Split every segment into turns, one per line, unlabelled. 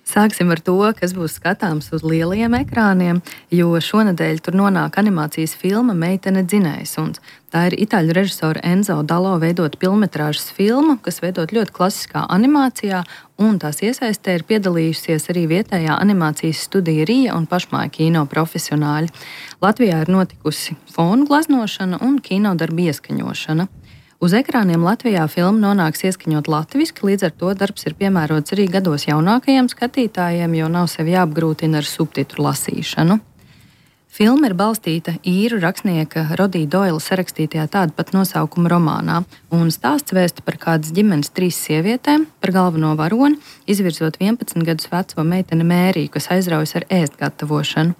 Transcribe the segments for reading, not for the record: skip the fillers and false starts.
Sāksim ar to, kas būs skatāms uz lielajiem ekrāniem, jo šonadēļ tur nonāk animācijas filma Meitene dzinējsuns. Tā ir itāļu režisora Enzo Dalo veidota filmetrāžas filma, kas veidot ļoti klasiskā animācijā, un tās iesaistē ir piedalījusies arī vietējā animācijas studija Rija un pašmāja kino profesionāļi. Latvijā ir notikusi fonu glaznošana un kinodarbu ieskaņošana. Uz ekrāniem Latvijā filma nonāks ieskaņot latviski, līdz ar to darbs ir piemērots arī gados jaunākajiem skatītājiem, jo nav sevi jāapgrūtina ar subtitru lasīšanu. Filma ir balstīta īru rakstnieka Rodija Doila sarakstītajā tāda pat nosaukuma romānā, un stāsts vēsta par kādas ģimenes 3 sievietēm, par galveno varoni, izvirzot 11 gadus veco meiteni Mēriju, kas aizraujas ar ēst gatavošanu.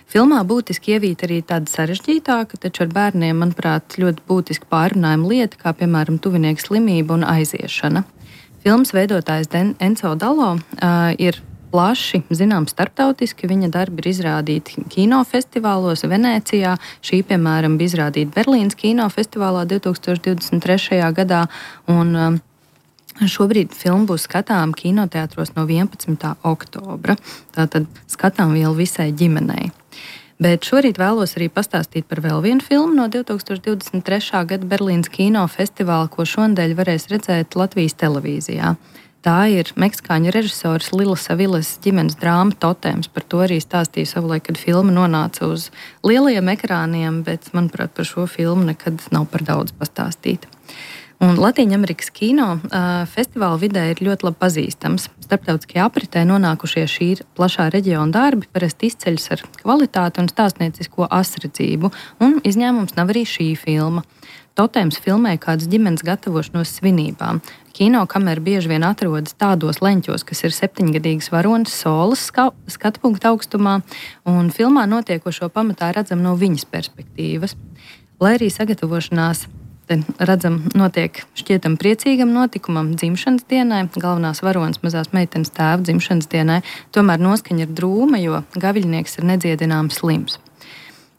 Filmā būtiski ievīta arī tāda sarežģītāka, taču ar bērniem, manuprāt, ļoti būtiski pārrunājama lieta, kā piemēram tuvinieka slimība un aiziešana. Filmas veidotājs Enzo Dalo ir plaši zināms starptautiski. Viņa darbi ir izrādīti kinofestivālos Venēcijā. Šī, piemēram, bija izrādīta Berlīnas kinofestivālā 2023. gadā. Un šobrīd filma būs skatām kinoteātros no 11. oktobra. Tātad skatām vielu visai ģimenei. Bet šorīt vēlos arī pastāstīt par vēl vienu filmu no 2023. gada Berlīnas kinofestivāla, ko šonadēļ varēs redzēt Latvijas televīzijā. Tā ir meksikāņu režisors Lilas Aviles ģimenes drāma Totems. Par to arī stāstīju savulaik, kad filma nonāca uz lielajiem ekrāniem, bet, manuprāt, par šo filmu nekad nav par daudz pastāstīt. Un Latvijas kino festivāla vidē ir ļoti labi pazīstams. Starptautiskajā apritē nonākušie šī plašā reģiona darbi parasti izceļas ar kvalitāti un stāstniecisko asredzību, un izņēmums nav arī šī filma. Totems filmē kādas ģimenes gatavošanos svinībām. Kinokamera bieži vien atrodas tādos leņķos, kas ir 7-gadīgas varonas solas skatu punkta augstumā, un filmā notiekošo pamatā redzam no viņas perspektīvas. Lai arī sagatavošanās te redzam, notiek šķietam priecīgam notikumam, dzimšanas dienai, galvenās varonas mazās meitenes tēva dzimšanas dienai, tomēr noskaņa ir drūma, jo gaviļnieks ir nedziedināms slims.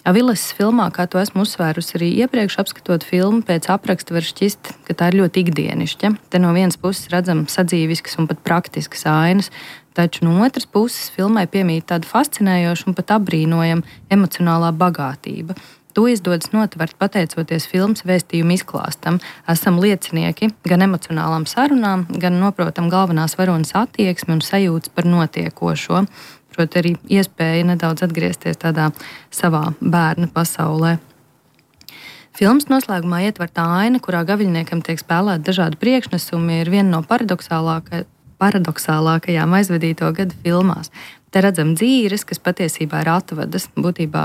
Aviles filmā, kā to esmu uzsvērusi arī iepriekš apskatot filmu, pēc apraksta var šķist, ka tā ir ļoti ikdienišķa. Te no vienas puses redzam sadzīviskas un pat praktiskas ainas, taču no otras puses filmai piemīt tāda fascinējoša un pat apbrīnojama emocionālā bagātība. To izdodas notvert pateicoties filmas vēstījuma izklāstam. Esam liecinieki gan emocionālām sarunām, gan noprotam galvenās varonas attieksmi un sajūtas par notiekošo. Proti arī iespēja nedaudz atgriezties tādā savā bērna pasaulē. Filmas noslēgumā ietvertā aina, kurā gaviļniekam tiek spēlēti dažādi priekšnesumi, ir viena no paradoxālākajām aizvadīto gadu filmās. Te redzam dzīres, kas patiesībā ir atvadas, būtībā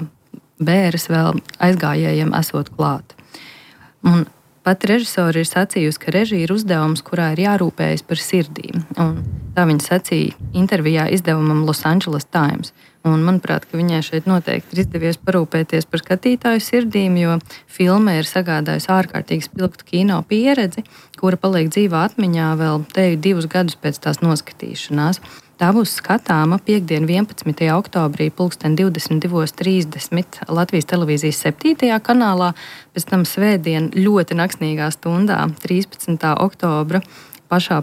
bēres vēl aizgājējiem esot klāt. Un pat režisori ir sacījusi, ka režija ir uzdevums, kurā ir jārūpējas par sirdīm. Un tā viņa sacīja intervijā izdevumam Los Angeles Times. Un manuprāt, ka viņai šeit noteikti ir izdevies parūpēties par skatītāju sirdīm, jo filma ir sagādājusi ārkārtīgi spilgtu kino pieredzi, kura paliek dzīvā atmiņā vēl teju 2 gadus pēc tās noskatīšanās. Tā būs skatāma piekdien 11. oktobrī 22:30 Latvijas televīzijas 7. kanālā, pēc tam svētdien ļoti naksnīgā stundā 13. oktobra pašā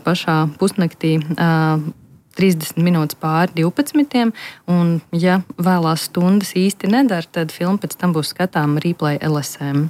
pusnaktī 30 minūtes pāri 12. Un, ja vēlās stundas īsti nedara, tad filma pēc tam būs skatāma Replay LSM.